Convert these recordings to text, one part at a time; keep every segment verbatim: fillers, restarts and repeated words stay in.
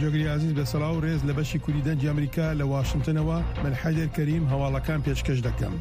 جۆگری ئازیز بە سڵاو و ڕێز لە بەشی کوردی دەنگی ئەمریکا لە واشنتنەوە من حەیدەر کەریم هەواڵەکان پێشکەش دەکەم.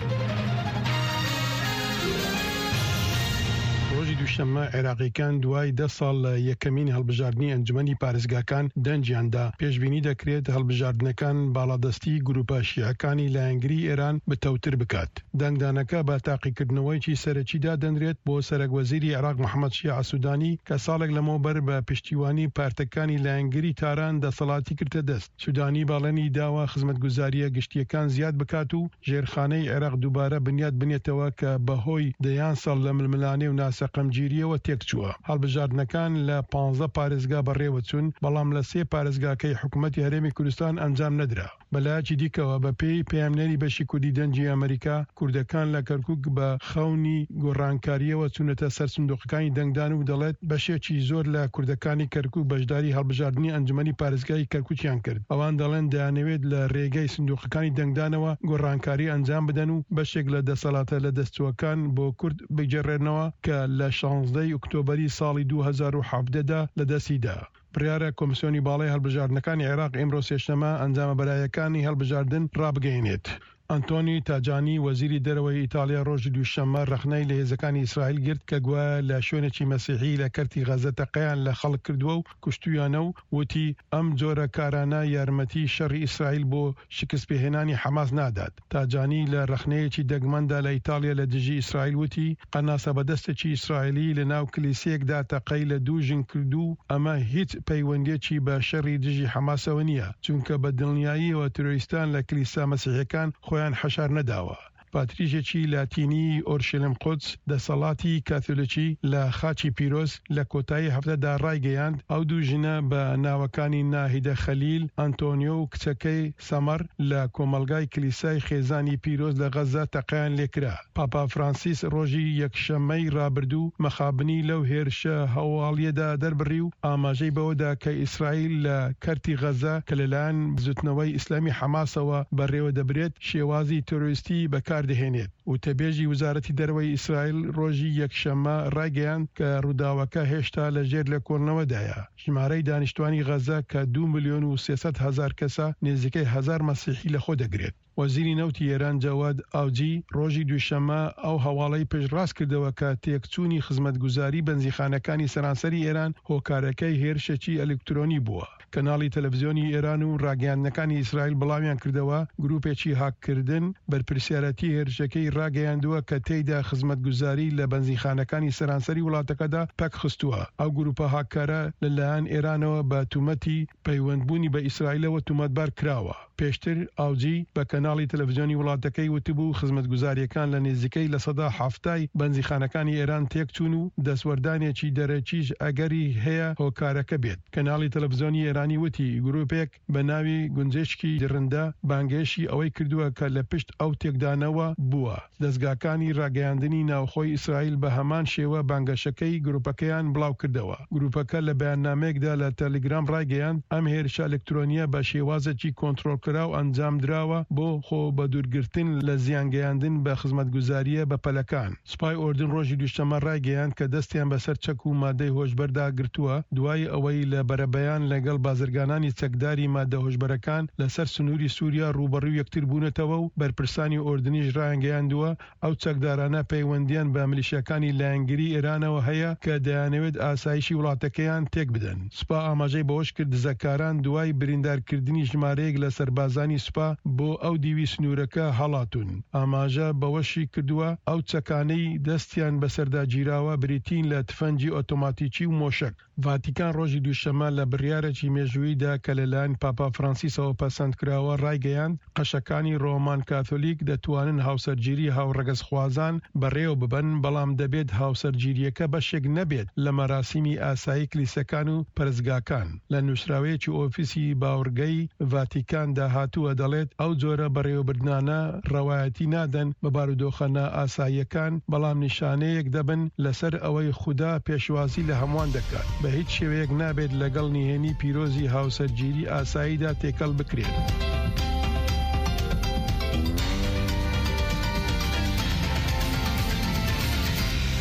ڕۆژی دووشەممە عێراقیەکان دوای دە ساڵ لە یەکەمین هەڵبژاردنی ئەنجومەنی پارێزگاکان دەنگیان دا. پێشبینی دەکرێت هەڵبژاردنەکان باڵادەستی گروپە شیعەکانی لایەنگری ئێران بتەوتر بکات. دەنگدانەکە بە تاقیکردنەوەیەکی سەرەکی دادەنرێت بۆ سەرەک وەزیری عێراق محەمەد شیاع سودانی کە ساڵێک لەمەوبەر بە پشتیوانی پارتەکانی لایەنگری تاران دەسەڵاتی گرتە دەست. سودانی بەڵێنی داوە خزمەتگوزارییە گشتییەکان زیاد بکات و ژێرخانەی عێراق دووبارە بنیات بنێتەوە کە بەهۆی دەیان ساڵ لە ململانێ و ناسەقامگیرییەوە تێکچووە. هەڵبژاردنەکان لە پانزە پارێزگا بەڕێوەچوون، بەڵام لە سێ پارێزگاکەی حکومەتی هەرێمی کوردستان ئەنجام نەدرا. بەلایەکی دیکەوە، بەپێی پەیامنێری بەشی کوردی دەنگی ئەمەریکا، کوردەکان لە کەرکوک بە خەونی گۆڕانکارییەوە چوونەتە سەر سندوقەکانی دەنگدان و دەڵێت، بەشێکی زۆر لە کوردەکانی کەرکوک بەشداری هەڵبژاردنی ئەنجومەنی پارێزگای کەرکوکیان کرد. ئەوان دەڵێن دەیانەوێت لە رێگەی سندوقەکانی دەنگدانەوە گۆڕانکاری ئەنجام بدەن و بەشێک لە دەسەڵاتە لەدەستچووەکان بۆ کورد بگێڕێنەوە کە لە شانزدە ی ئۆکتۆبەری ساڵی دوو هەزار و حەڤدە دا لەدەستی دا. بڕیارە کۆمسیۆنی باڵای هەڵبژاردنەکانی عێراق ئیمڕۆ سێشەممە ئەنجامە بەرایەکانی هەڵبژاردن ڕابگەیەنێت. ئەنتۆنی تاجانی، وەزیری دەرەوەی ئیتاڵیا ڕۆژی دووشەممە ڕەخنەی لە هێزەکانی ئیسرائیل گرت کە گوایە لە شوێنێکی مەسیحی لە کەرتی غەزە تەقەیان لە خەڵک کردووە و کوشتوویانە و وتی، ئەم جۆرە کارانە یارمەتی شەڕی ئیسرائیل بۆ شکستپێهێنانی حەماس نادات. تاجانی لە ڕەخنەیەکی دەگمەندا لە ئیتاڵیا لە دژی ئیسرائیل وتی، قەناسە بەدەستێکی ئیسرائیلی لە ناو کلیسەیەکدا تەقەی لە دوو ژن کردو و ئەمە هیچ پەیوەندییەکی بە شەڕی دژی حەماسەوە نییە، چونکە بە دڵنیاییەوە تیرۆریستان لە کلیسا مەسیحیەکان خۆیان حەشار نەداوە. پاتریشێکی لاتینیی ئۆرشەلیم قودس، دەسەڵاتی کاثۆلیکی لە خاچی پیرۆز، لە کۆتایی هەفتەدا ڕایگەیاند، ئەو دوو ژنە بە ناوەکانی ناهیدە خەلیل ئەنتۆنیۆ و کچەکەی سەمەڕ لە کۆمەڵگای کلیسای خێزانی پیرۆز لە غەززە تەقەیان لێکرا. پاپا فرانسیس ڕۆژی یەکشەممەی ڕابردوو مەخابنی لەو هێرشە هەواڵییەدا دەربڕی و ئاماژەی بەوەدا کە ئیسرائیل لە کەرتی غەززە کە لەلایەن بزوتنەوەی ئیسلامی حەماسەوە بەڕێوەدەبرێت شێوازی تیرۆریستی بەکاردەهێنێت. وتەبێژی وەزارەتی دەرەوەی ئیسرائیل ڕۆژی یەکشەممە ڕایگەیاند کە ڕووداوەکە هێشتا لەژێر لێکۆڵینەوەدایە. ژمارەی دانیشتوانی غەززە کە دوو ملیۆن و سێ سەد هەزار کەسە، نزیکەی هەزار مەسیحی لەخۆدەگرێت. وەزیری نەوتی ئێران جەواد ئاوجی ڕۆژی دووشەممە ئەو هەواڵەی پشتڕاست کردەوە کە تێکچوونی خزمەتگوزاری بەنزینخانەکانی سەرانسەری ئێران هۆکارەکەی هێرشێکی ئەلیکترۆنی بووە. کەناڵی تەلەفزیۆنی ئێران و ڕاگەیاندنەکانی ئیسرائیل بڵاویان کردەوە، گروپێکی هاککردن بەرپرسیارەتی هێرشەکەی ڕاگەیاندووە کە تێیدا خزمەتگوزاری لە بەنزینخانەکانی سەرانسەری وڵاتەکەدا پەکخستووە. ئەو گروپە هاککارە لەلایەن ئێرانەوە بە تومەتی پەیوەندبوونی بە ئیسرائیلەوە تومەتبار کراوە. پێشتر ئاوجی بە کەناڵی تەلەفزیۆنی وڵاتەکەی وتبوو، خزمەتگوزارییەکان لە نزیکەی لە سەدا حەفتای بەنزیخانەکانی ئێران تێکچوون و دەستوەردانێکی دەرەکیش ئەگەری هەیە هۆکارەکە بێت. کەناڵی تەلەفزیۆنی ئێرانی وتی، گروپێک بە ناوی گونجێشکی دڕندە بانگێشی ئەوەی کردووە کە لە پشت ئەو تێکدانەوە بووە. دەزگاکانی ڕاگەیاندنی ناوخۆی ئیسرائیل بە هەمان شێوە بانگەشەکەی گروپەکەیان بڵاوکردەوە. گروپەکە لە بەیاننامەیەکدا لە تەلیگرام ڕایگەیاند، ئەم هێرشە ئەلکترۆنییە بە شێوازێکی کۆنترۆڵکراو ئەنجامدراوە بۆ خۆ بەدوورگرتن لە زیانگەیاندن بە خزمەتگوزارییە بەپەلەکان. سوپای ئوردن ڕۆژی دووشەممە ڕایگەیاند کە دەستیان بەسەر چەک و مادەی هۆشبەردا گرتووە، دوای ئەوەی لە بەرەبەیان لەگەڵ بازرگانانی چەکداری مادە هۆشبەرەکان لەسەر سنووری سووریا ڕووبەڕووی یەکتر بوونەتەوە و بەرپرسانی ئوردنیش ڕایانگەیاندووە ئەو چەکدارانە پەیوەندییان بە ملیشیاکانی لایەنگری ئێرانەوە هەیە کە دەیانەوێت ئاسایشی وڵاتەکەیان تێکبدەن. سوپا ئاماژەی بەوەشکرد، دزەکاران دوای بریندارکردنی ژمارەیەک لە سەربازانی سوپا بۆ ئەو دیوی سنوورەکە هەڵاتوون. ئاماژە بەوەشی کردووە، ئەو چەکانەی دەستیان بەسەردا گیراوە بریتین لە تفەنگی ئۆتۆماتیکی و مۆشەک. ڤاتیکان ڕۆژی دووشەممە لە بڕیارێکی مێژووییدا کە لەلایەن پاپا فرانسیسەوە پەسەند کراوە ڕایگەیاند، قەشەکانی ڕۆمان کاثۆلیک دەتوانن هاوسەرگیری هاوڕەگەزخوازان بەڕێوە ببەن، بەڵام دەبێت هاوسەرگیرییەکە بەشێک نەبێت لە مەراسیمی ئاسایی کلیسەکان و پەرستگاکان. لە نووسراوەیەکی ئۆفیسی باوەڕگەی ڤاتیکاندا هاتووە دەڵێت، ئەو جۆرە بەڕێوەبردنانە ڕەوایەتی نادەن بە بارودۆخە نائاساییەکان، بەڵام نیشانەیەک دەبن لەسەر ئەوەی خودا پێشوازی لە هەمووان دەکات. بە هیچ شێوەیەک نابێت لەگەڵ نهێنی پیرۆزی هاوسەرگیری ئاساییدا تێکەڵ بکرێن.